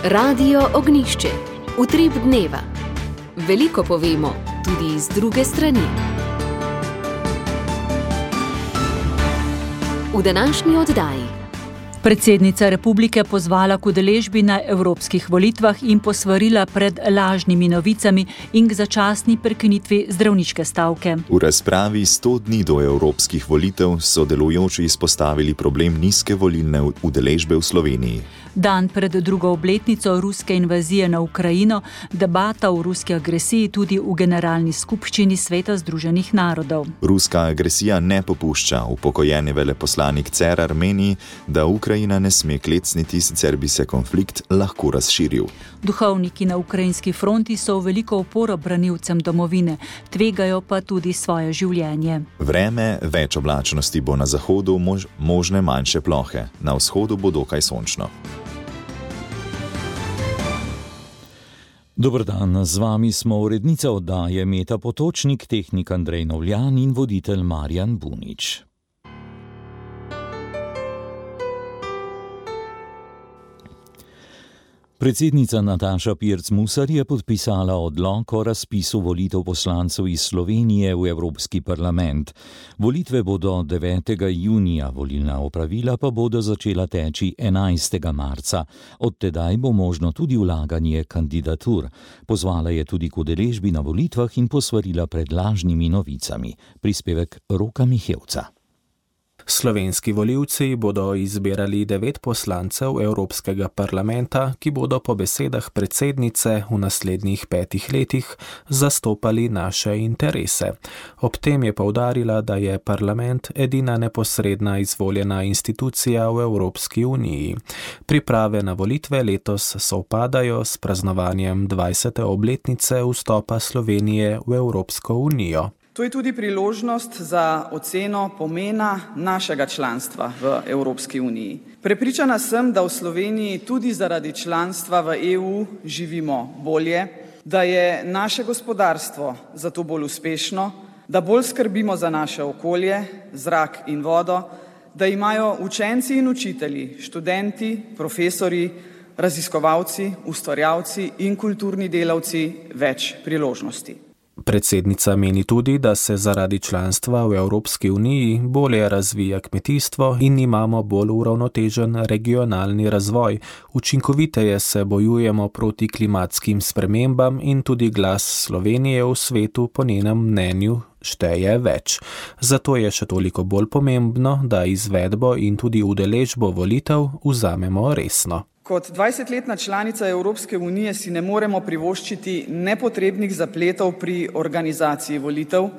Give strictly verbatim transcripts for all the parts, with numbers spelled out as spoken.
Radio Ognjišče. Utrip dneva. Veliko povemo, tudi iz druge strani. V današnji oddaji. Predsednica republike pozvala k udeležbi na evropskih volitvah in posvarila pred lažnimi novicami in k začasni prekinitvi zdravniške stavke. V razpravi sto dni do evropskih volitev so delujoči izpostavili problem nizke volilne udeležbe v Sloveniji. Dan pred drugo obletnico ruske invazije na Ukrajino, debata o ruski agresiji tudi v Generalni skupščini Sveta združenih narodov. Ruska agresija ne popušča. Upokojeni veleposlanik Cerar meni, da Ukrajina ne sme klecniti, sicer bi se konflikt lahko razširil. Duhovniki na ukrajinski fronti so v veliko oporo branilcem domovine, tvegajo pa tudi svoje življenje. Vreme, več oblačnosti bo na zahodu, mož, možne manjše plohe. Na vzhodu bo dokaj sončno. Dober dan, z vami smo urednica oddaje Meta Potočnik, tehnik Andrej Novljan in voditelj Marjan Bunič. Predsednica Nataša Pirc Musar je podpisala odlok o razpisu volitev poslancev iz Slovenije v Evropski parlament. Volitve bodo devetega junija, volilna opravila pa bodo začela teči enajstega marca. Od tedaj bo možno tudi vlaganje kandidatur. Pozvala je tudi k udeležbi na volitvah in posvarila pred lažnimi novicami. Prispevek Roka Mihevca. Slovenski volivci bodo izbirali devet poslancev Evropskega parlamenta, ki bodo po besedah predsednice v naslednjih petih letih zastopali naše interese. Ob tem je poudarila, da je parlament edina neposredna izvoljena institucija v Evropski uniji. Priprave na volitve letos sovpadajo s praznovanjem dvajsete obletnice vstopa Slovenije v Evropsko unijo. To je tudi priložnost za oceno pomena našega članstva v Evropski uniji. Prepričana sem, da v Sloveniji tudi zaradi članstva v E U živimo bolje, da je naše gospodarstvo zato bolj uspešno, da bolj skrbimo za naše okolje, zrak in vodo, da imajo učenci in učitelji, študenti, profesorji, raziskovalci, ustvarjalci in kulturni delavci več priložnosti. Predsednica meni tudi, da se zaradi članstva v Evropski uniji bolje razvija kmetijstvo in imamo bolj uravnotežen regionalni razvoj. Učinkoviteje se bojujemo proti klimatskim spremembam in tudi glas Slovenije v svetu po njenem mnenju šteje več. Zato je še toliko bolj pomembno, da izvedbo in tudi udeležbo volitev vzamemo resno. Kot dvajsetletna članica Evropske unije si ne moremo privoščiti nepotrebnih zapletov pri organizaciji volitev,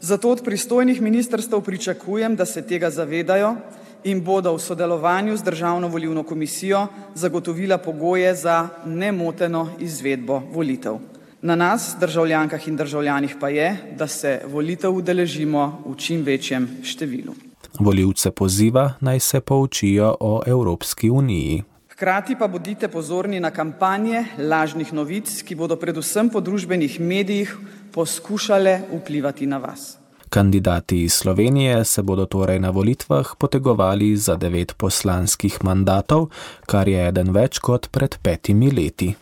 zato od pristojnih ministrstev pričakujem, da se tega zavedajo in bodo v sodelovanju z Državno volilno komisijo zagotovila pogoje za nemoteno izvedbo volitev. Na nas, državljankah in državljanih pa je, da se volitev udeležimo v čim večjem številu. Volivce poziva, naj se poučijo o Evropski uniji. Hkrati pa bodite pozorni na kampanje lažnih novic, ki bodo predvsem po družbenih medijih poskušale vplivati na vas. Kandidati iz Slovenije se bodo torej na volitvah potegovali za devet poslanskih mandatov, kar je eden več kot pred petimi leti.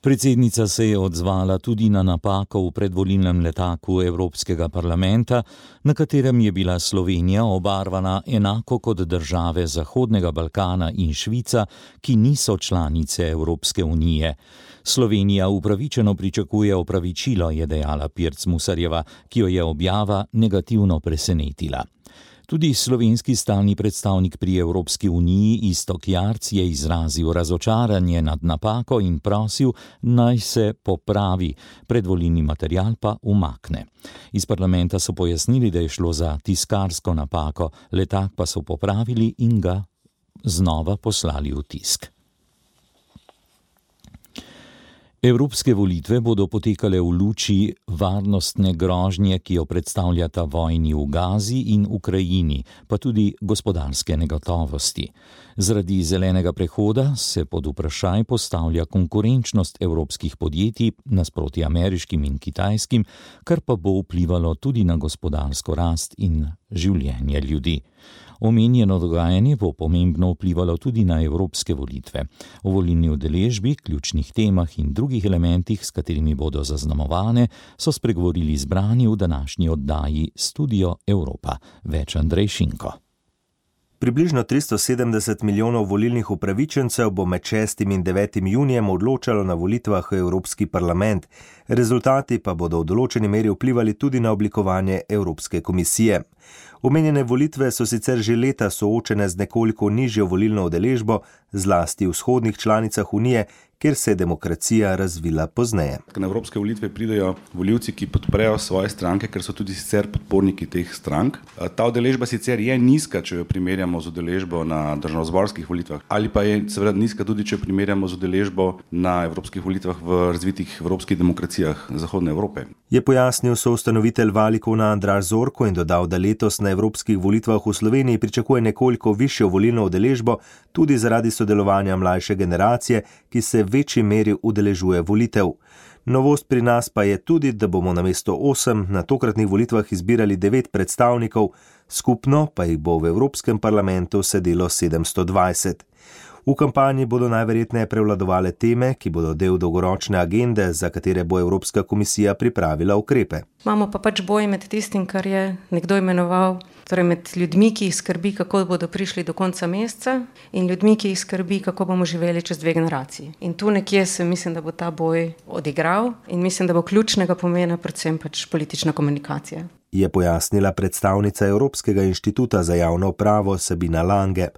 Predsednica se je odzvala tudi na napako v predvolilnem letaku Evropskega parlamenta, na katerem je bila Slovenija obarvana enako kot države Zahodnega Balkana in Švica, ki niso članice Evropske unije. Slovenija upravičeno pričakuje opravičilo, je dejala Pirc Musarjeva, ki jo je objava negativno presenetila. Tudi slovenski stalni predstavnik pri Evropski uniji Iztok Jarc je izrazil razočaranje nad napako in prosil, naj se popravi, predvolilni material pa umakne. Iz parlamenta so pojasnili, da je šlo za tiskarsko napako, letak pa so popravili in ga znova poslali v tisk. Evropske volitve bodo potekale v luči varnostne grožnje, ki jo predstavljata vojni v Gazi in Ukrajini, pa tudi gospodarske negotovosti. Zaradi zelenega prehoda se pod vprašaj postavlja konkurenčnost evropskih podjetij nasproti ameriškim in kitajskim, kar pa bo vplivalo tudi na gospodarsko rast in življenje ljudi. Omenjeno dogajanje bo pomembno vplivalo tudi na evropske volitve. O volilni udeležbi, ključnih temah in drugih elementih, s katerimi bodo zaznamovane, so spregovorili zbrani v današnji oddaji Studio Evropa. Več Andrej Šinko. Približno tristo sedemdeset milijonov volilnih upravičencev bo med šestim in devetim junijem odločalo na volitvah v Evropski parlament. Rezultati pa bodo v določeni meri vplivali tudi na oblikovanje Evropske komisije. Omenjene volitve so sicer že leta soočene z nekoliko nižjo volilno udeležbo, zlasti v vzhodnih članicah Unije, kjer se je demokracija razvila pozneje. Na evropske volitve pridejo volivci, ki podprejo svoje stranke, ker so tudi sicer podporniki teh strank. Ta udeležba sicer je nizka, če jo primerjamo z udeležbo na državnozborskih volitvah, ali pa je seveda nizka tudi, če jo primerjamo z udeležbo na evropskih volitvah v razvitih evropskih demokracijah Zahodne Evrope. Je pojasnil soustanovitelj Valikona Andraž Zorko in dodal, da letos na evropskih volitvah v Sloveniji pričakuje nekoliko višjo volilno udeležbo, tudi zaradi sodelovanja mlajše generacije, ki se v večji meri udeležuje volitev. Novost pri nas pa je tudi, da bomo namesto osem na tokratnih volitvah izbirali devet predstavnikov, skupno pa jih bo v Evropskem parlamentu sedelo sedemsto dvajset. V kampanji bodo najverjetneje prevladovale teme, ki bodo del dolgoročne agende, za katere bo Evropska komisija pripravila ukrepe. Imamo pa pač boj med tistim, kar je nekdo imenoval, torej med ljudmi, ki jih skrbi, kako bodo prišli do konca meseca, in ljudmi, ki jih skrbi, kako bomo živeli čez dve generaciji. In tu nekje se mislim, da bo ta boj odigral in mislim, da bo ključnega pomena predvsem pač politična komunikacija. Je pojasnila predstavnica Evropskega inštituta za javno upravo Sabina Lange.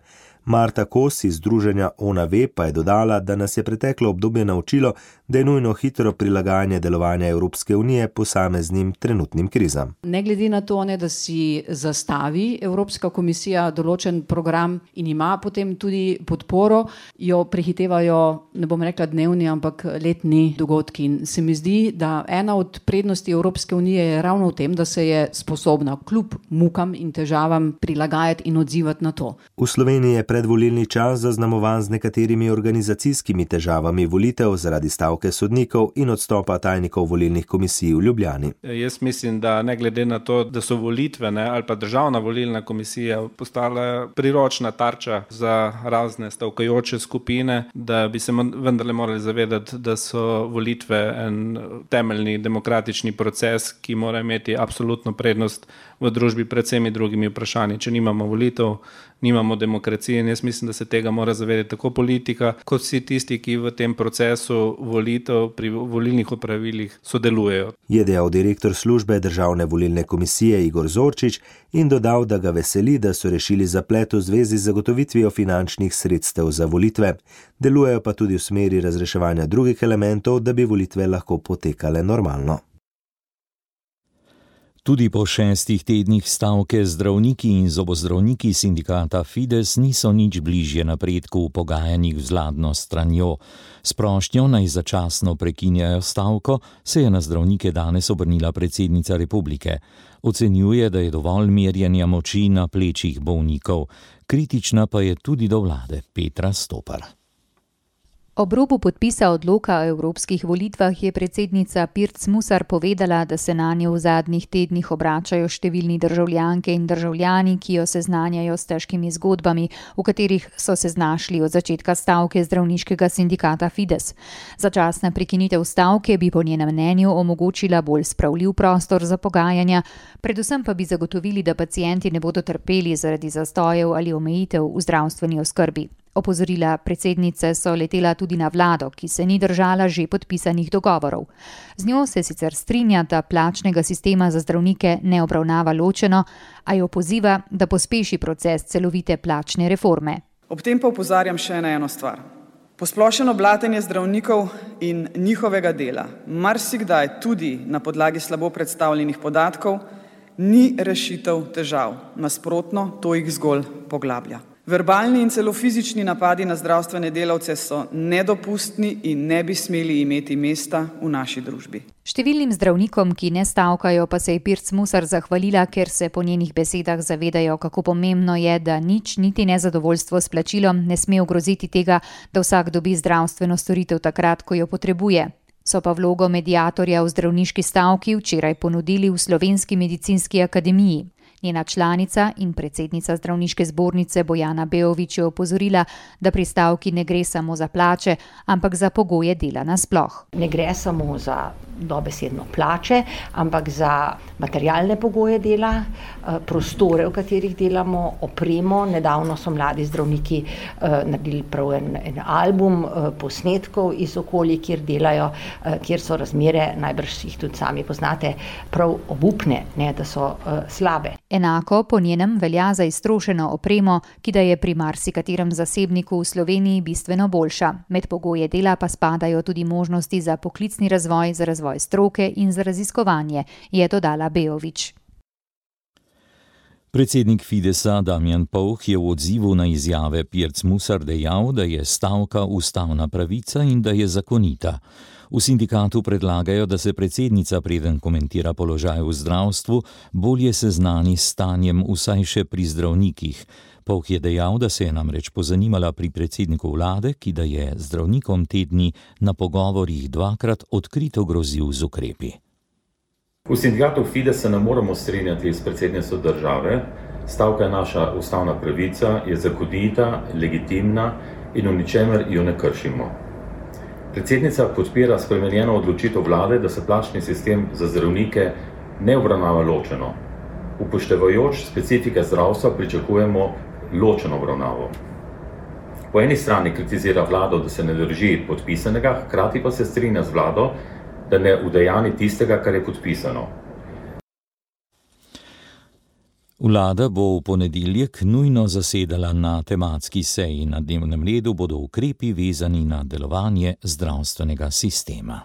Marta Kos iz združenja Ona ve pa je dodala, da nas je preteklo obdobje naučilo, da je nujno hitro prilagajanje delovanja Evropske unije posameznim trenutnim krizam. Ne glede na to, ne, da si zastavi Evropska komisija določen program in ima potem tudi podporo, jo prehitevajo, ne bom rekla dnevni, ampak letni dogodki. In se mi zdi, da ena od prednosti Evropske unije je ravno v tem, da se je sposobna kljub mukam in težavam prilagajati in odzivati na to. V Sloveniji je predvolilni čas zaznamovan z nekaterimi organizacijskimi težavami volitev zaradi stavke sodnikov in odstopa tajnikov volilnih komisij v Ljubljani. Jaz mislim, da ne glede na to, da so volitve ne, ali pa državna volilna komisija postala priročna tarča za razne stavkajoče skupine, da bi se vendarle morali zavedati, da so volitve en temeljni demokratični proces, ki mora imeti absolutno prednost v družbi pred vsemi drugimi vprašanji. Če nimamo volitev, nimamo demokracije in jaz mislim, da se tega mora zavedati tako politika, kot vsi tisti, ki v tem procesu volitev pri volilnih opravilih sodelujejo. Je dejal direktor službe Državne volilne komisije Igor Zorčič in dodal, da ga veseli, da so rešili zaplet v zvezi z zagotovitvijo finančnih sredstev za volitve. Delujejo pa tudi v smeri razreševanja drugih elementov, da bi volitve lahko potekale normalno. Tudi po šestih tednih stavke zdravniki in zobozdravniki sindikata Fides niso nič bližje napredku v pogajanjih z vladno stranjo. S prošnjo naj začasno prekinjajo stavko se je na zdravnike danes obrnila predsednica republike. Ocenjuje, da je dovolj merjenja moči na plečih bolnikov. Kritična pa je tudi do vlade Petra Stopar. Ob robu podpisa odloka o evropskih volitvah je predsednica Pirc Musar povedala, da se nanjo v zadnjih tednih obračajo številni državljanke in državljani, ki jo seznanjajo s težkimi zgodbami, v katerih so se znašli od začetka stavke zdravniškega sindikata Fides. Začasna prekinitev stavke bi po njenem mnenju omogočila bolj spravljiv prostor za pogajanja, predvsem pa bi zagotovili, da pacienti ne bodo trpeli zaradi zastojev ali omejitev v zdravstveni oskrbi. Opozorila predsednice so letela tudi na vlado, ki se ni držala že podpisanih dogovorov. Z njo se sicer strinja, da plačnega sistema za zdravnike ne obravnava ločeno, a jo poziva, da pospeši proces celovite plačne reforme. Ob tem pa opozarjam še na eno stvar. Posplošeno blatenje zdravnikov in njihovega dela, marsikdaj tudi na podlagi slabo predstavljenih podatkov, ni rešitev težav. Nasprotno, to jih zgolj poglablja. Verbalni in celo fizični napadi na zdravstvene delavce so nedopustni in ne bi smeli imeti mesta v naši družbi. Številnim zdravnikom, ki ne stavkajo, pa se je Pirc Musar zahvalila, ker se po njenih besedah zavedajo, kako pomembno je, da nič, niti nezadovoljstvo s plačilom ne sme ogroziti tega, da vsak dobi zdravstveno storitev takrat, ko jo potrebuje. So pa vlogo mediatorja v zdravniški stavki včeraj ponudili v Slovenski medicinski akademiji. Njena članica in predsednica zdravniške zbornice Bojana Beović je opozorila, da pri stavki ne gre samo za plače, ampak za pogoje dela nasploh. Ne gre samo za dobesedno plače, ampak za materialne pogoje dela, prostore, v katerih delamo, opremo. Nedavno so mladi zdravniki naredili prav en, en album posnetkov iz okolij, kjer delajo, kjer so razmere, najbrž jih tudi sami poznate, prav obupne, ne, da so slabe. Enako po njenem velja za iztrošeno opremo, ki da je pri marsikaterem zasebniku v Sloveniji bistveno boljša. Med pogoje dela pa spadajo tudi možnosti za poklicni razvoj, za razvoj stroke in za raziskovanje, je dodala Beović. Predsednik Fidesa Damjan Pouch je v odzivu na izjave Pirc Musar dejal, da je stavka ustavna pravica in da je zakonita. V sindikatu predlagajo, da se predsednica, preden komentira položaj v zdravstvu, bolje seznani s stanjem vsaj še pri zdravnikih. Pouch je dejal, da se je namreč pozanimala pri predsedniku vlade, ki da je zdravnikom te dni na pogovorih dvakrat odkrito grozil z ukrepi. V sindikatu Fides se ne moremo strinjati s predsednico države. Stavka je naša ustavna pravica, je zakonita, legitimna in v ničemer jo ne kršimo. Predsednica podpira spremenjeno odločitev vlade, da se plačni sistem za zdravnike ne obravnava ločeno. Upoštevajoč specifike zdravstva pričakujemo ločeno obravnavo. Po eni strani kritizira vlado, da se ne drži podpisanega, hkrati pa se strinja z vlado, da ne udejani tistega, kar je podpisano. Vlada bo v ponedeljek nujno zasedala na tematski seji. Na dnevnem redu bodo ukrepi vezani na delovanje zdravstvenega sistema.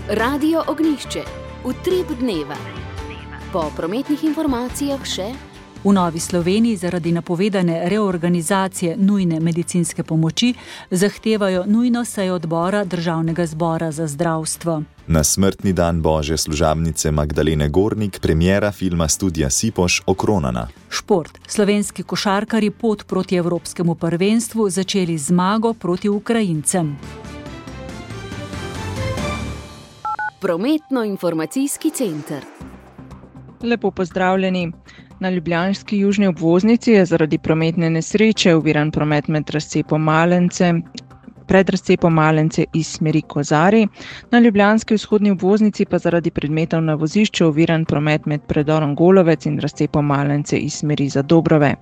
Radio Ognjišče. Utrip dneva. Po prometnih informacijah še: v Novi Sloveniji zaradi napovedane reorganizacije nujne medicinske pomoči zahtevajo nujno sejo odbora Državnega zbora za zdravstvo. Na smrtni dan Božje služabnice Magdalene Gornik premiera filma Studia Sipoš okronana. Šport. Slovenski košarkarji pot proti evropskemu prvenstvu začeli zmago proti Ukrajincem. Prometno-informacijski center. Lepo pozdravljeni. Na ljubljanski južni obvoznici je zaradi prometne nesreče oviran promet med razcepom Malence, pred razcepom Malence iz smeri Kozarij. Na ljubljanski vzhodni obvoznici pa zaradi predmetov na vozišču oviran promet med predorom Golovec in razcepom Malence iz smeri Zadobrove.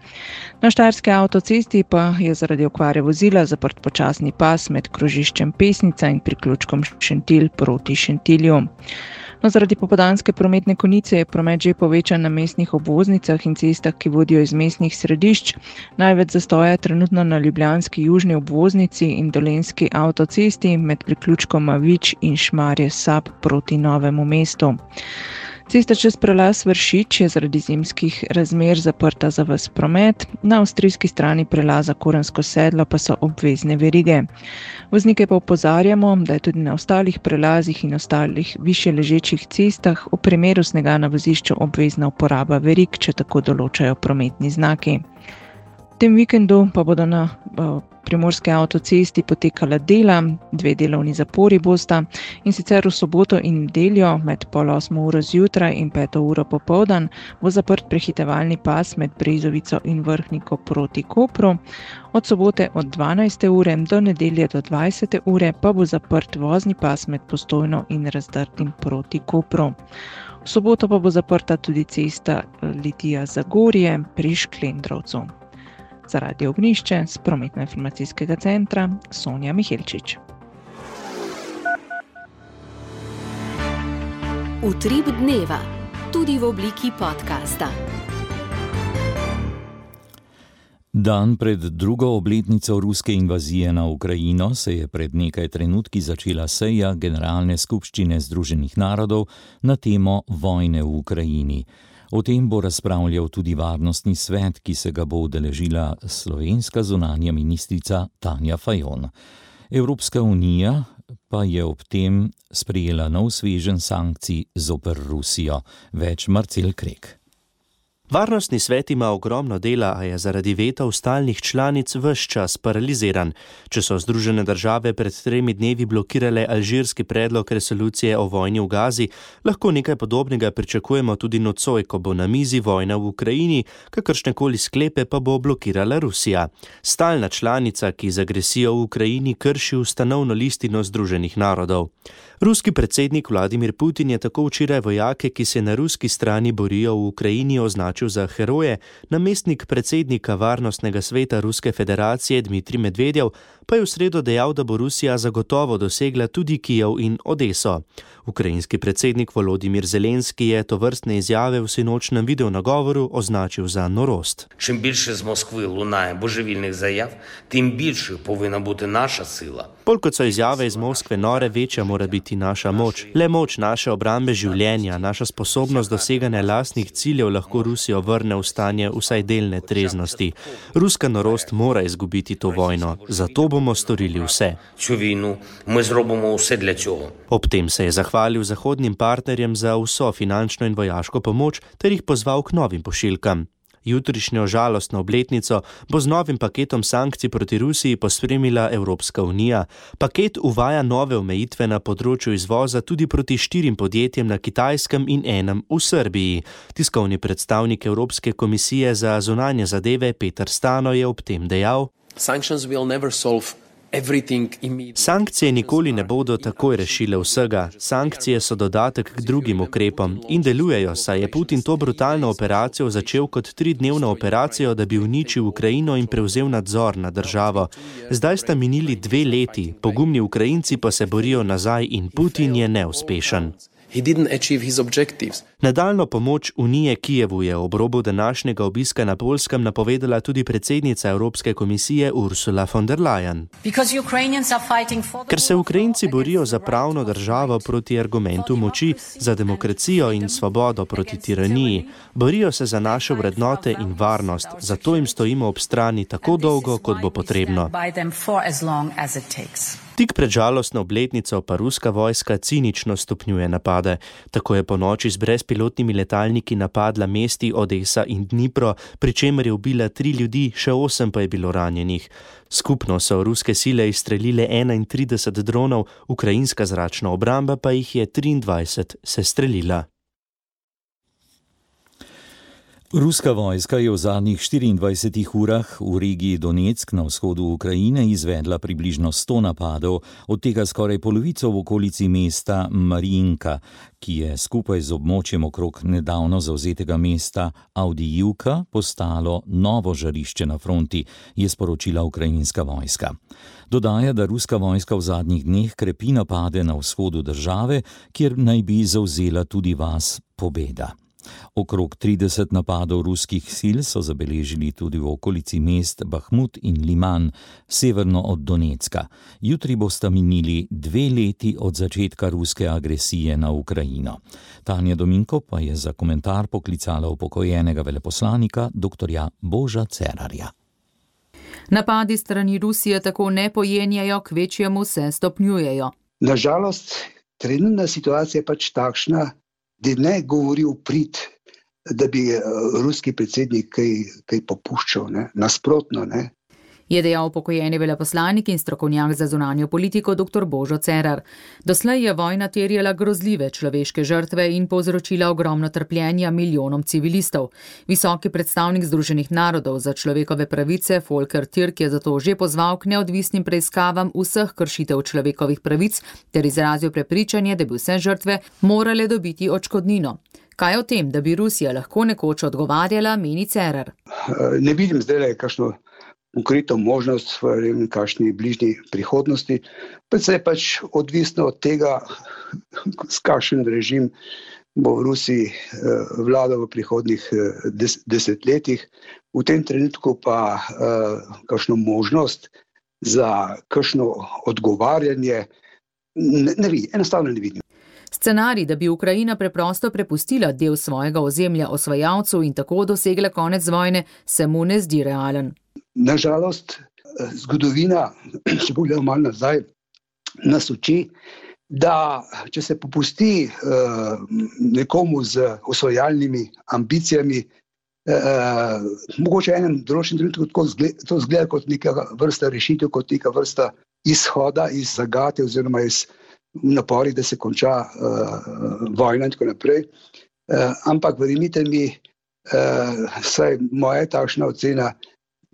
Na štajerski avtocesti pa je zaradi okvare vozila zaprt počasni pas med krožiščem Pesnica in priključkom Šentilj proti Šentilju. No, zaradi popoldanske prometne konice je promet že povečan na mestnih obvoznicah in cestah, ki vodijo iz mestnih središč. Največ zastoja trenutno na ljubljanski južni obvoznici in dolenjski avtocesti med priključkoma Vič in Šmarje Sab proti Novemu mestu. Cesta čez prelaz Vršič je zaradi zimskih razmer zaprta za ves promet, na avstrijski strani prelaza Korensko sedlo pa so obvezne verige. Voznike pa opozarjamo, da je tudi na ostalih prelazih in ostalih višje ležečih cestah v primeru snega na vozišču obvezna uporaba verig, če tako določajo prometni znaki. V tem vikendu pa bodo na primorski avtocesti potekala dela, dve delovni zapori bosta, in sicer v soboto in nedeljo med pol osmo uro zjutraj in peto uro popoldan bo zaprt prehitevalni pas med Brezovico in Vrhniko proti Kopru. Od sobote od dvanajste ure do nedelje do dvajsete ure pa bo zaprt vozni pas med Postojno in Razdrtim proti Kopru. V soboto pa bo zaprta tudi cesta Litija-Zagorje pri Šklendrovcu. Za Radio Ognjišče z prometno-informacijskega centra Sonja Mihelčič. Utrip dneva, tudi v obliki podcasta. Dan pred drugo obletnico ruske invazije na Ukrajino se je pred nekaj trenutki začela seja Generalne skupščine Združenih narodov na temo vojne v Ukrajini. O tem bo razpravljal tudi varnostni svet, ki se ga bo udeležila slovenska zunanja ministrica Tanja Fajon. Evropska unija pa je ob tem sprejela nov sveženj sankcij zoper Rusijo. Več Marcel Krek. Varnostni svet ima ogromno dela, a je zaradi vetov stalnih članic ves čas paraliziran. Če so Združene države pred tremi dnevi blokirale alžirski predlog resolucije o vojni v Gazi, lahko nekaj podobnega pričakujemo tudi nocoj, ko bo na mizi vojna v Ukrajini, kakršnekoli sklepe pa bo blokirala Rusija. Stalna članica, ki z agresijo v Ukrajini krši ustanovno listino Združenih narodov. Ruski predsednik Vladimir Putin je tako včeraj vojake, ki se na ruski strani borijo v Ukrajini, označil za heroje, namestnik predsednika Varnostnega sveta Ruske federacije Dmitrij Medvedjev pa je v sredo dejal, da bo Rusija zagotovo dosegla tudi Kijev in Odeso. Ukrajinski predsednik Volodimir Zelenski je tovrstne izjave v sinočnem videonagovoru označil za norost. Čim більше з Москви лунає божевільних заяв, тим більше повинна бути наша сила. Bolj kot so izjave iz Moskve nore, večja mora biti naša moč. Le moč naše obrambe življenja, naša sposobnost doseganja lastnih ciljev lahko Rusijo vrne v stanje vsaj delne treznosti. Ruska norost mora izgubiti to vojno, zato bomo storili vse. Цю війну ми зробимо усе для цього. Ob tem se je zahvalil zahodnim partnerjem za vso finančno in vojaško pomoč ter jih pozval k novim pošiljkam. Jutrišnjo žalostno obletnico bo z novim paketom sankcij proti Rusiji pospremila Evropska unija. Paket uvaja nove omejitve na področju izvoza tudi proti štirim podjetjem na Kitajskem in enem v Srbiji. Tiskovni predstavnik Evropske komisije za zunanje zadeve Peter Stano je ob tem dejal: Sankcije nikoli ne bodo takoj rešile vsega. Sankcije so dodatek k drugim ukrepom in delujejo, saj je Putin to brutalno operacijo začel kot tridnevno operacijo, da bi uničil Ukrajino in prevzel nadzor nad državo. Zdaj sta minili dve leti, pogumni Ukrajinci pa se borijo nazaj in Putin je neuspešen. Nadaljno pomoč Unije Kijevu je ob robu današnjega obiska na Poljskem napovedala tudi predsednica Evropske komisije Ursula von der Leyen. Ker se Ukrajinci borijo za pravno državo proti argumentu moči, za demokracijo in svobodo proti tiraniji, borijo se za naše vrednote in varnost, zato jim stojimo ob strani tako dolgo, kot bo potrebno. Tik pred žalostno obletnico pa ruska vojska cinično stopnjuje napade. Tako je po noči z brezpilotnimi letalniki napadla mesti Odesa in Dnipro, pri čemer je ubila tri ljudi, še osem pa je bilo ranjenih. Skupno so ruske sile izstrelile enaintrideset dronov, ukrajinska zračna obramba pa jih je triindvajset sestrelila. Ruska vojska je v zadnjih štiriindvajsetih urah v regiji Donetsk na vzhodu Ukrajine izvedla približno sto napadov, od tega skoraj polovico v okolici mesta Marinka, ki je skupaj z območjem okrog nedavno zavzetega mesta Avdijivka postalo novo žarišče na fronti, je sporočila ukrajinska vojska. Dodaja, da ruska vojska v zadnjih dneh krepi napade na vzhodu države, kjer naj bi zavzela tudi vas Pobeda. Okrog trideset napadov ruskih sil so zabeležili tudi v okolici mest Bahmut in Liman, severno od Donetska. Jutri bosta minili dve leti od začetka ruske agresije na Ukrajino. Tanja Dominko pa je za komentar poklicala upokojenega veleposlanika doktorja Boža Cerarja. Napadi strani Rusije tako ne pojenjajo, kvečjemu se stopnjujejo. Nažalost, trenutna situacija je pač takšna, da ne govori v prid, da bi ruski predsednik kaj, kaj popuščal, ne? Nasprotno, ne? Je dejal upokojeni veleposlanik in strokovnjak za zunanjo politiko doktor Božo Cerar. Doslej je vojna terjala grozljive človeške žrtve in povzročila ogromno trpljenja milijonom civilistov. Visoki predstavnik Združenih narodov za človekove pravice Volker Türk je zato že pozval k neodvisnim preiskavam vseh kršitev človekovih pravic ter izrazil prepričanje, da bi vse žrtve morale dobiti odškodnino. Kaj o tem, da bi Rusija lahko nekoč odgovarjala, meni Cerar? Ne vidim zdaj kakšno konkretno možnost v kakšni bližnji prihodnosti, pa se je pač odvisno od tega, s kakšen režim bo v Rusiji vladal v prihodnjih des, desetletjih. V tem trenutku pa kakšno možnost za kakšno odgovarjanje ne, ne vidim, enostavno ne vidim. Scenarij, da bi Ukrajina preprosto prepustila del svojega ozemlja osvajalcu in tako dosegla konec vojne, se mu ne zdi realen. Nažalost, zgodovina, če pogledamo malo nazaj, nas uči, da če se popusti uh, nekomu z osvajalnimi ambicijami, Uh, mogoče enem določenem trenutku to zgleda kot neka vrsta rešitev, kot neka vrsta izhoda iz zagate oziroma iz napori, da se konča uh, vojna in tako naprej. Uh, ampak verjemite mi, uh, saj moja takšna ocena,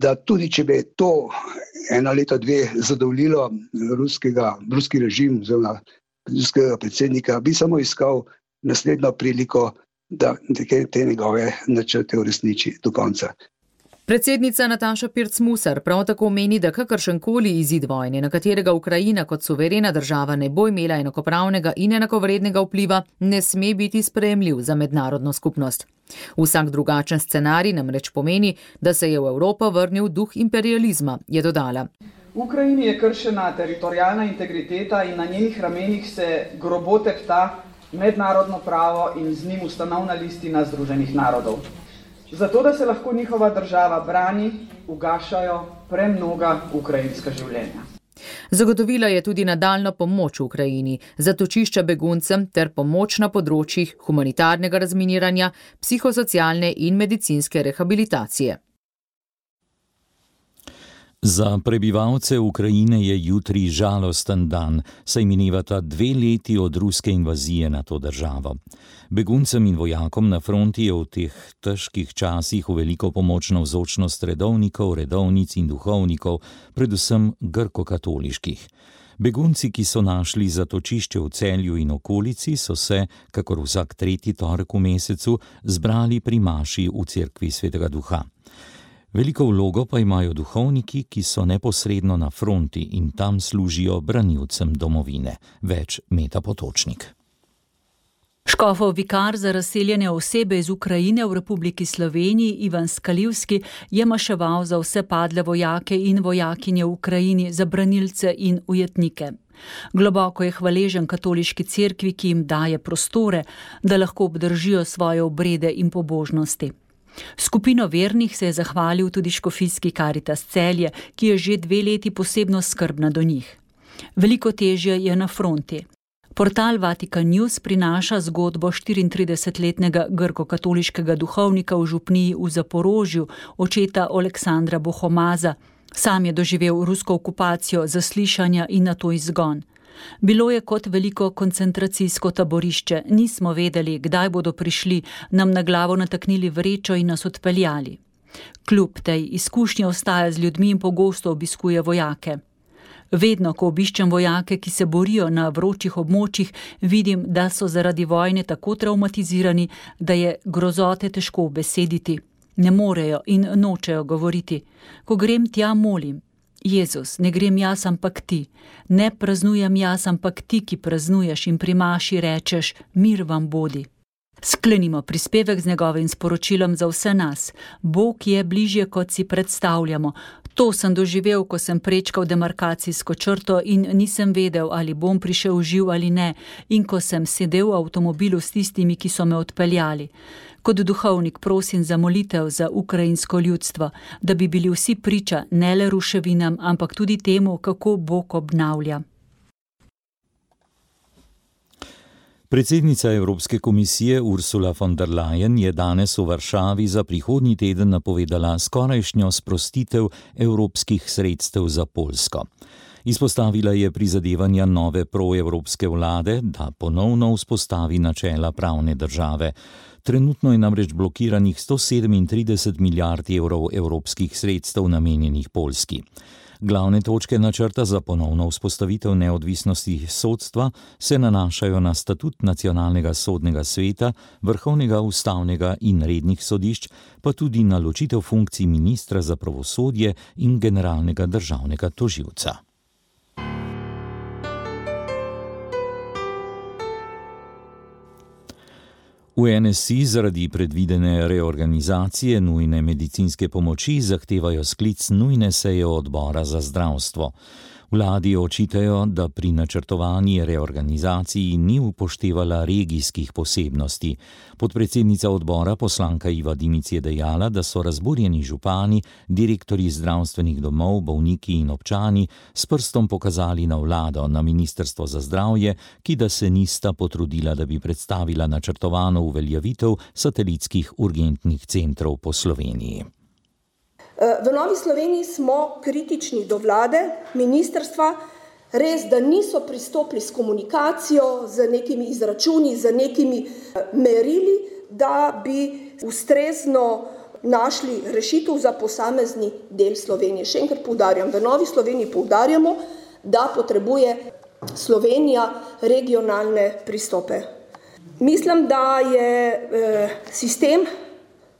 da tudi če bi to eno leto, dve zadovoljilo ruskega, ruski režim oziroma ruskega predsednika, bi samo iskal naslednjo priliko, da te njegove načrte uresniči do konca. Predsednica Nataša Pirc-Musar prav tako meni, da kakršenkoli izid vojne, na katerega Ukrajina kot suverena država ne bo imela enakopravnega in enakovrednega vpliva, ne sme biti sprejemljiv za mednarodno skupnost. Vsak drugačen scenarij namreč pomeni, da se je v Evropo vrnil duh imperializma, je dodala. V Ukrajini je kršena teritorialna integriteta in na njenih ramenih se grobo tepta mednarodno pravo in z njim ustanovna listina Združenih narodov. Zato, da se lahko njihova država brani, ugašajo premnoga ukrajinska življenja. Zagotovila je tudi nadaljno pomoč Ukrajini, zatočišča beguncem ter pomoč na področjih humanitarnega razminiranja, psihosocialne in medicinske rehabilitacije. Za prebivalce Ukrajine je jutri žalosten dan, saj minevata dve leti od ruske invazije na to državo. Beguncem in vojakom na fronti je v teh težkih časih v veliko pomoč navzočnost redovnikov, redovnic in duhovnikov, predvsem grkokatoliških. Begunci, ki so našli zatočišče v Celju in okolici, so se, kakor vsak tretji torek v mesecu, zbrali pri maši v cerkvi Svetega Duha. Veliko vlogo pa imajo duhovniki, ki so neposredno na fronti in tam služijo branilcem domovine. Več Meta Potočnik. Škofov vikar za razseljene osebe iz Ukrajine v Republiki Sloveniji Ivan Skalivski je maševal za vse padle vojake in vojakinje v Ukrajini, za branilce in ujetnike. Globoko je hvaležen katoliški cerkvi, ki jim daje prostore, da lahko obdržijo svoje obrede in pobožnosti. Skupino vernih se je zahvalil tudi škofijski Karitas Celje, ki je že dve leti posebno skrbna do njih. Veliko težje je na fronti. Portal Vatikan News prinaša zgodbo štiriintridesetletnega grkokatoliškega duhovnika v župniji v Zaporožju, očeta Oleksandra Bohomaza. Sam je doživel rusko okupacijo, zaslišanja in nato izgon. Bilo je kot veliko koncentracijsko taborišče, nismo vedeli, kdaj bodo prišli, nam na glavo nataknili vrečo in nas odpeljali. Kljub tej izkušnji ostaja z ljudmi in pogosto obiskuje vojake. Vedno, ko obiščem vojake, ki se borijo na vročih območjih, vidim, da so zaradi vojne tako travmatizirani, da je grozote težko besediti. Ne morejo in nočejo govoriti. Ko grem tja, molim. Jezus, ne grem jaz, ampak ti. Ne praznujem jaz, ampak ti, ki praznuješ in pri maši rečeš, mir vam bodi. Sklenimo prispevek z njegovim sporočilom za vse nas. Bog je bližje, kot si predstavljamo. To sem doživel, ko sem prečkal demarkacijsko črto in nisem vedel, ali bom prišel živ ali ne, in ko sem sedel v avtomobilu s tistimi, ki so me odpeljali. Kot duhovnik prosim za molitev za ukrajinsko ljudstvo, da bi bili vsi priča ne le ruševinam, ampak tudi temu, kako Bog obnavlja. Predsednica Evropske komisije Ursula von der Leyen je danes v Varšavi za prihodnji teden napovedala skorajšnjo sprostitev evropskih sredstev za Poljsko. Izpostavila je prizadevanja nove proevropske vlade, da ponovno vzpostavi načela pravne države. Trenutno je namreč blokiranih sto sedemintrideset milijard evrov evropskih sredstev namenjenih Poljski. Glavne točke načrta za ponovno vzpostavitev neodvisnosti sodstva se nanašajo na statut nacionalnega sodnega sveta, vrhovnega ustavnega in rednih sodišč, pa tudi na ločitev funkcij ministra za pravosodje in generalnega državnega tožilca. V N S I zaradi predvidene reorganizacije nujne medicinske pomoči zahtevajo sklic nujne seje odbora za zdravstvo. Vladi očitajo, da pri načrtovani reorganizaciji ni upoštevala regijskih posebnosti. Podpredsednica odbora, poslanka Iva Dimic, je dejala, da so razburjeni župani, direktorji zdravstvenih domov, bolniki in občani s prstom pokazali na vlado, na Ministrstvo za zdravje, ki da se nista potrudila, da bi predstavila načrtovano uveljavitev satelitskih urgentnih centrov po Sloveniji. V Novi Sloveniji smo kritični do vlade, ministrstva, res, da niso pristopili s komunikacijo, z nekimi izračuni, z nekimi merili, da bi ustrezno našli rešitev za posamezni del Slovenije. Še enkrat poudarjam, v Novi Sloveniji poudarjamo, da potrebuje Slovenija regionalne pristope. Mislim, da je eh, sistem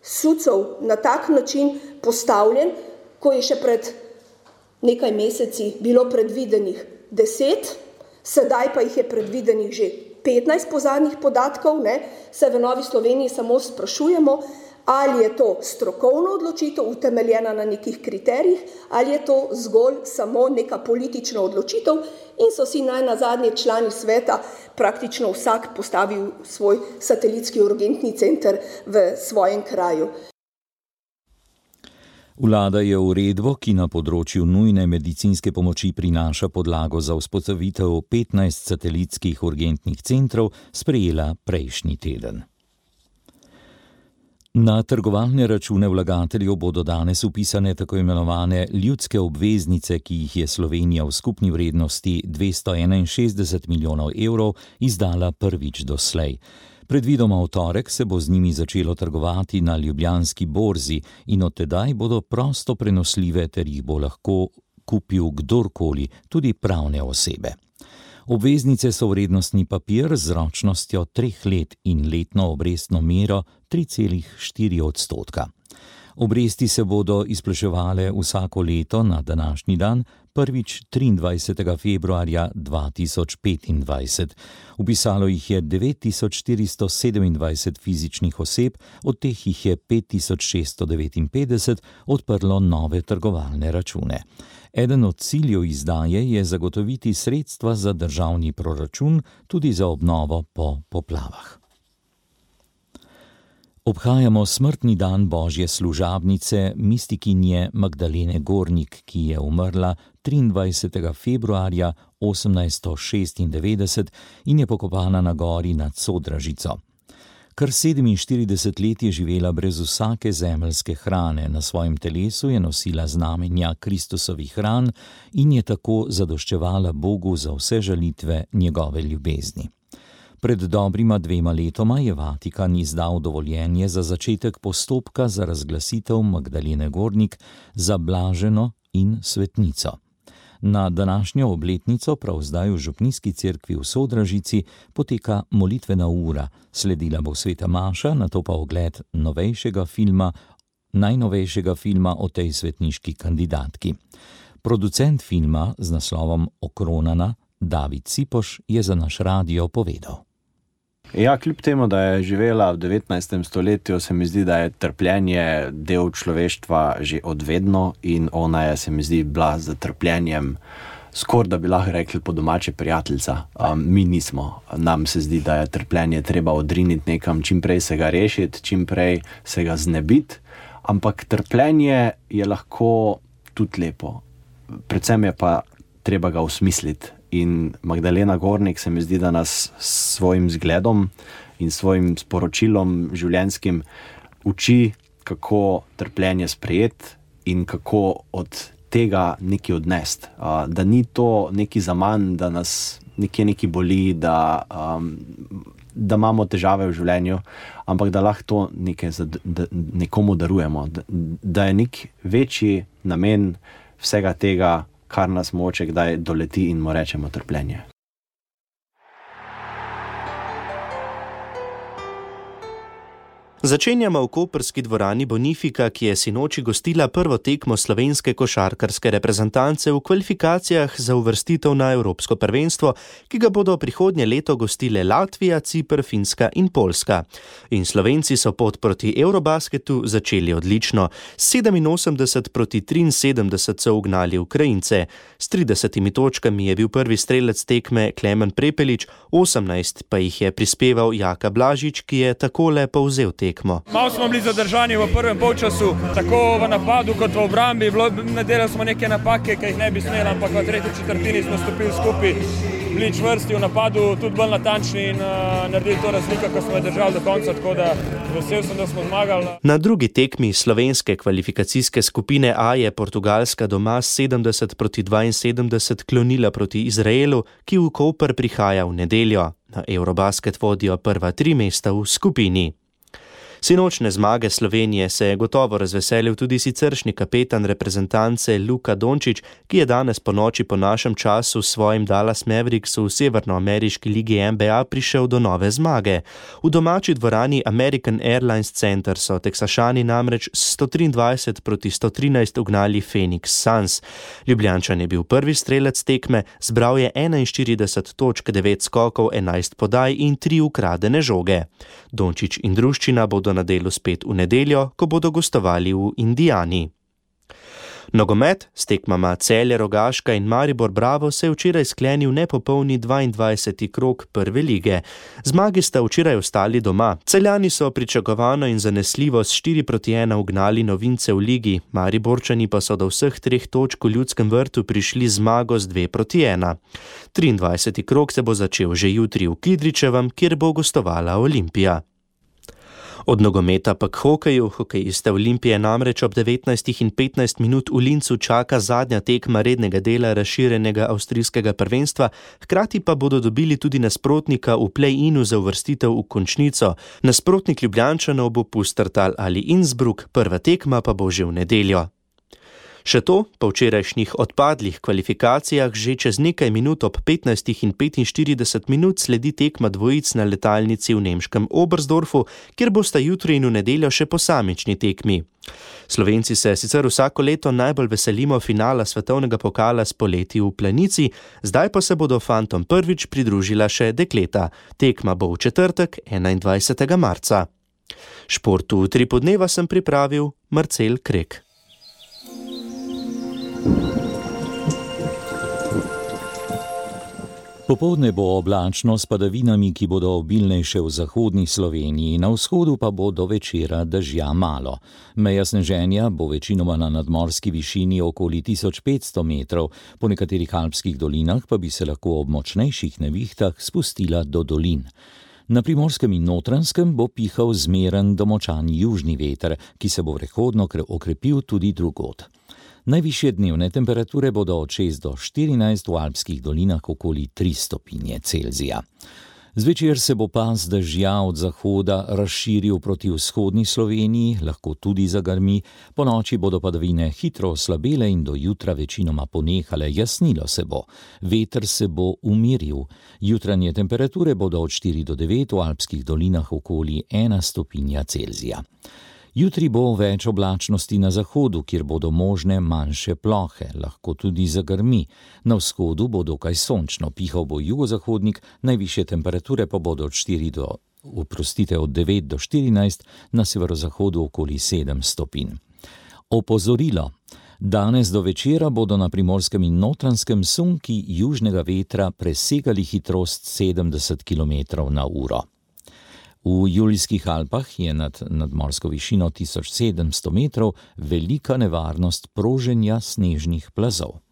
SUC-ov na tak način postavljen, ko je še pred nekaj meseci bilo predvidenih deset, sedaj pa jih je predvidenih že petnajst po zadnjih podatkov, ne, se v Novi Sloveniji samo sprašujemo, ali je to strokovna odločitev, utemeljena na nekih kriterijih, ali je to zgolj samo neka politična odločitev in so si naj nazadnje člani sveta praktično vsak postavil svoj satelitski urgentni center v svojem kraju. Vlada je uredbo, ki na področju nujne medicinske pomoči prinaša podlago za vzpostavitev petnajst satelitskih urgentnih centrov, sprejela prejšnji teden. Na trgovalne račune vlagateljev bodo danes vpisane tako imenovane ljudske obveznice, ki jih je Slovenija v skupni vrednosti dvesto enainšestdeset milijonov evrov izdala prvič doslej. Predvidoma v torek se bo z njimi začelo trgovati na Ljubljanski borzi in od tedaj bodo prosto prenosljive ter jih bo lahko kupil kdorkoli, tudi pravne osebe. Obveznice so vrednostni papir z ročnostjo treh let in letno obrestno mero tri celih štiri odstotka. Obresti se bodo izplačevale vsako leto na današnji dan, prvič triindvajsetega februarja dva tisoč petindvajset. Vpisalo jih je devet tisoč štiristo sedemindvajset fizičnih oseb, od teh jih je pet tisoč šeststo devetinpetdeset odprlo nove trgovalne račune. Eden od ciljev izdaje je zagotoviti sredstva za državni proračun, tudi za obnovo po poplavah. Obhajamo smrtni dan Božje služabnice, mistikinje Magdalene Gornik, ki je umrla triindvajsetega februarja osemnajststo šestindevetdeset in je pokopana na gori nad Sodražico. Kar sedeminštirideset let je živela brez vsake zemeljske hrane, na svojem telesu je nosila znamenja Kristusovih ran in je tako zadoščevala Bogu za vse žalitve njegove ljubezni. Pred dobrima dvema letoma je Vatikan izdal dovoljenje za začetek postopka za razglasitev Magdalene Gornik za blaženo in svetnico. Na današnjo obletnico prav zdaj v župnijski cerkvi v Sodražici poteka molitvena ura, sledila bo sveta maša, nato pa ogled novejšega filma, najnovejšega filma o tej svetniški kandidatki. Producent filma z naslovom Okronana, David Cipoš, je za naš radio povedal. Ja, kljub temu, da je živela v devetnajstem stoletju, se mi zdi, da je trpljenje del človeštva že odvedno in ona je, se mi zdi, bila z trpljenjem skoraj, da bi lahko rekli po domače, prijateljica. Um, mi nismo. Nam se zdi, da je trpljenje treba odriniti nekam, čim prej se ga rešiti, čim prej se ga znebiti, ampak trpljenje je lahko tudi lepo. Predvsem je pa treba ga osmisliti. In Magdalena Gornik se mi zdi, da nas s svojim zgledom in svojim sporočilom življenjskim uči, kako trpljenje sprejeti in kako od tega nekaj odnesti. Da ni to nekaj zaman, da nas nekje nekaj boli, da, um, da imamo težave v življenju, ampak da lahko to nekaj za, da, nekomu darujemo. Da, da je nek večji namen vsega tega, kar nas moče kdaj doleti in mu rečemo trpljenje. Začenjamo v koprski dvorani Bonifika, ki je sinoči gostila prvo tekmo slovenske košarkarske reprezentance v kvalifikacijah za uvrstitev na Evropsko prvenstvo, ki ga bodo prihodnje leto gostile Latvija, Ciper, Finska in Poljska. In Slovenci so pot proti Eurobasketu začeli odlično. sedeminosemdeset proti triinsedemdeset so ugnali Ukrajince. S tridesetimi točkami je bil prvi strelec tekme Klemen Prepelič, osemnajst pa jih je prispeval Jaka Blažič, ki je takole povzel tekmo. Malo smo bili zadržani v prvem polčasu, tako v napadu kot v obrambi. Nadelali smo neke napake, ki jih ne bi smeli, ampak v tretji četrtini smo stopili skupaj, bili čvrsti v napadu, tudi bolj natančni in uh, naredili to razliko, ko smo jo držali do konca, tako da vesel sem, da smo zmagali. Na drugi tekmi slovenske kvalifikacijske skupine A je Portugalska doma sedemdeset proti dvainsedemdeset klonila proti Izraelu, ki v Koper prihaja v nedeljo. Na Eurobasket vodijo prva tri mesta v skupini. Sinočne zmage Slovenije se je gotovo razveselil tudi siceršnji kapetan reprezentance Luka Dončić, ki je danes po noči po našem času s svojim Dallas Mavericksu v severnoameriški ligi N B A prišel do nove zmage. V domači dvorani American Airlines Center so Teksašani namreč sto triindvajset proti sto trinajst ugnali Phoenix Suns. Ljubljančan je bil prvi strelec tekme, zbral je enainštirideset točk, devet skokov, enajst podaj in tri ukradene žoge. Dončić in druščina bodo na delu spet v nedeljo, ko bodo gostovali v Indijani. Nogomet s tekmama Celje, Rogaška in Maribor Bravo se je včeraj sklenil nepopolni dvaindvajseti krog prve lige. Zmagi sta včeraj ostali doma. Celjani so pričakovano in zanesljivo s štiri proti ena ugnali novince v ligi, Mariborčani pa so do vseh treh točk v Ljudskem vrtu prišli zmago z dve proti ena. triindvajseti krog se bo začel že jutri v Kidričevem, kjer bo gostovala Olimpija. Od nogometa pa k hokeju. Hokejiste Olimpije namreč ob devetnajstih in petnajst minut v Lincu čaka zadnja tekma rednega dela razširjenega avstrijskega prvenstva, hkrati pa bodo dobili tudi nasprotnika v play-inu za uvrstitev v končnico. Nasprotnik Ljubljančanov bo Pustertal ali Innsbruck, prva tekma pa bo že v nedeljo. Še to, po včerajšnjih odpadlih kvalifikacijah že čez nekaj minut ob petnajstih in petinštirideset minut sledi tekma dvojic na letalnici v nemškem Oberstdorfu, kjer bosta jutri in v nedeljo še posamični tekmi. Slovenci se sicer vsako leto najbolj veselimo finala svetovnega pokala s poleti v Planici, zdaj pa se bodo fantom prvič pridružila še dekleta. Tekma bo v četrtek, enaindvajsetega marca. Športu tri podneva sem pripravil Marcel Krek. Popoldne bo oblačno s padavinami, ki bodo obilnejše v zahodni Sloveniji, na vzhodu pa bo do večera dežja malo. Meja sneženja bo večinoma na nadmorski višini okoli tisoč petsto metrov, po nekaterih alpskih dolinah pa bi se lahko ob močnejših nevihtah spustila do dolin. Na Primorskem in Notranjskem bo pihal zmeren do močan južni veter, ki se bo prehodno okrepil tudi drugod. Najvišje dnevne temperature bodo od šest do štirinajst, v alpskih dolinah okoli tri stopinje Celzija. Zvečer se bo pas dežja od zahoda razširil proti vzhodni Sloveniji, lahko tudi zagrmi, ponoči bodo padavine hitro oslabele in do jutra večinoma ponehale, jasnilo se bo. Veter se bo umiril. Jutranje temperature bodo od štiri do devet, v alpskih dolinah okoli ena stopinja Celzija. Jutri bo več oblačnosti na zahodu, kjer bodo možne manjše plohe, lahko tudi zagrmi. Na vzhodu bo dokaj sončno, pihal bo jugozahodnik, najvišje temperature pa bodo od štiri do, oprostite, od devet do štirinajst, na severozahodu okoli sedem stopinj. Opozorilo. Danes do večera bodo na Primorskem in Notranjskem sunki južnega vetra presegali hitrost sedemdeset kilometrov na uro. V Julijskih Alpah je nad nadmorsko višino tisoč sedemsto metrov velika nevarnost proženja snežnih plazov.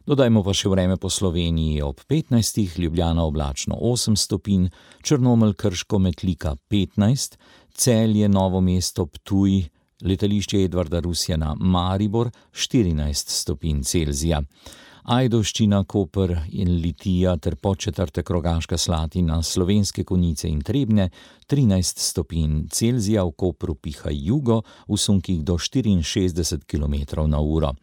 Dodajmo pa še vreme po Sloveniji. Ob petnajstih Ljubljana oblačno osem stopinj, Črnomelj, Krško, Metlika petnajst, Celje, Novo mesto, Ptuj, letališče Edvarda Rusjana, Maribor štirinajst stopinj Celzija. Ajdovščina, Koper in Litija ter Podčetrtek, Rogaška Slatina, Slovenske Konjice in Trebnje trinajst stopinj Celzija, v Kopru piha jugo, v sunkih do štiriinšestdeset kilometrov na uro.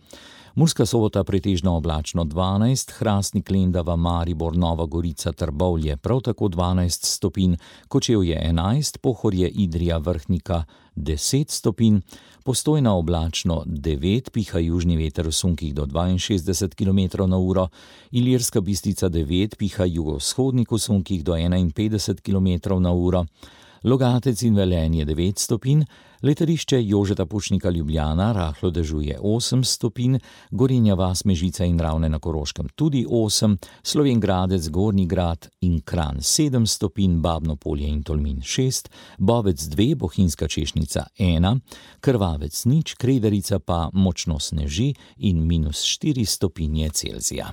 Murska Sobota pretežno oblačno dvanajst, Hrastnik, Lendava, Maribor, Nova Gorica, Trbovlje prav tako dvanajst stopinj, Kočevje enajst, Pohorje, Idrija, Vrhnika deset stopinj, Postojna oblačno devet, piha južni veter v sunkih do dvainšestdeset kilometrov na uro, Ilirska Bistrica devet, piha jugovzhodnik v sunkih do enainpetdeset kilometrov na uro, Logatec in Velenje devet stopinj, Letališče Jožeta Pučnika Ljubljana rahlo dežuje osem stopinj, Gorenja vas, Mežica in Ravne na Koroškem tudi osem, Slovenj Gradec, Gornji Grad in Kranj sedem stopinj, Babno Polje in Tolmin šest, Bovec dve, Bohinjska Češnica ena, Krvavec nič, Krederica pa močno sneži in minus štiri stopinje Celzija.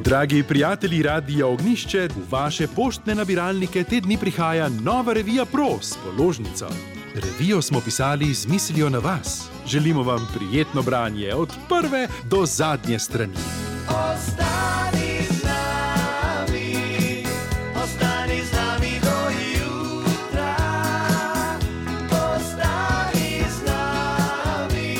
Dragi prijatelji Radia Ognjišče, v vaše poštne nabiralnike te dni prihaja nova revija Pro s položnico. Revijo smo pisali z mislijo na vas. Želimo vam prijetno branje od prve do zadnje strani. Ostani z nami, ostani z nami do jutra. Ostani z nami,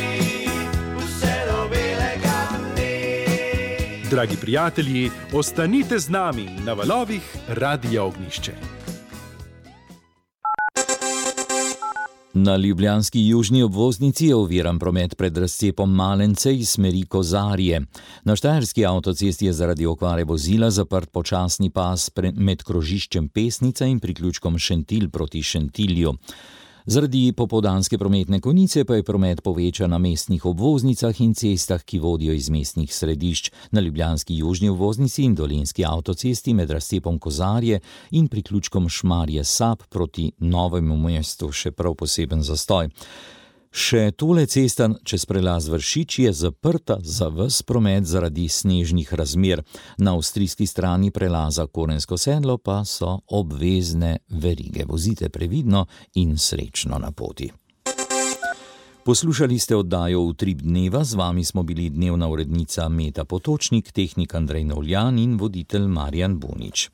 vse do belega dne. Dragi prijatelji, ostanite z nami na valovih Radia Ognjišče. Na ljubljanski južni obvoznici je oviran promet pred razcepom Malence iz smeri Kozarje. Na štajerski avtocesti je zaradi okvare vozila zaprt počasni pas med krožiščem Pesnica in priključkom Šentilj proti Šentilju. Zaradi popoldanske prometne konice pa je promet povečan na mestnih obvoznicah in cestah, ki vodijo iz mestnih središč, na ljubljanski južni obvoznici in dolenjski avtocesti med razcepom Kozarje in priključkom Šmarje Sap proti Novemu mestu še prav poseben zastoj. Še tole cesta čez prelaz Vršič je zaprta za ves promet zaradi snežnih razmer. Na avstrijski strani prelaza Korensko sedlo pa so obvezne verige. Vozite previdno in srečno na poti. Poslušali ste oddajo Utrip dneva, z vami smo bili dnevna urednica Meta Potočnik, tehnik Andrej Novljan in voditelj Marjan Bunič.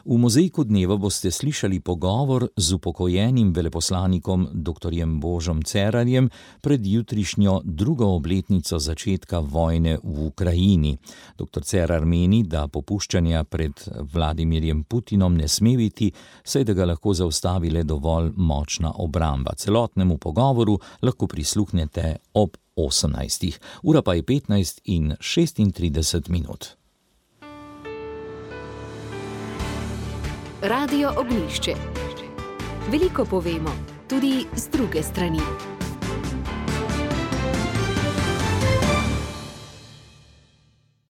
V mozaiku dneva boste slišali pogovor z upokojenim veleposlanikom doktorjem Božom Cerarjem pred jutrišnjo drugo obletnico začetka vojne v Ukrajini. Doktor Cerar meni, da popuščanja pred Vladimirjem Putinom ne sme biti, saj da ga lahko zaustavi le dovolj močna obramba. Celotnemu pogovoru lahko prisluhnete ob osemnajstih. Ura pa je petnajst in šestintrideset minut. Radio Ognjišče. Veliko povemo, tudi z druge strani.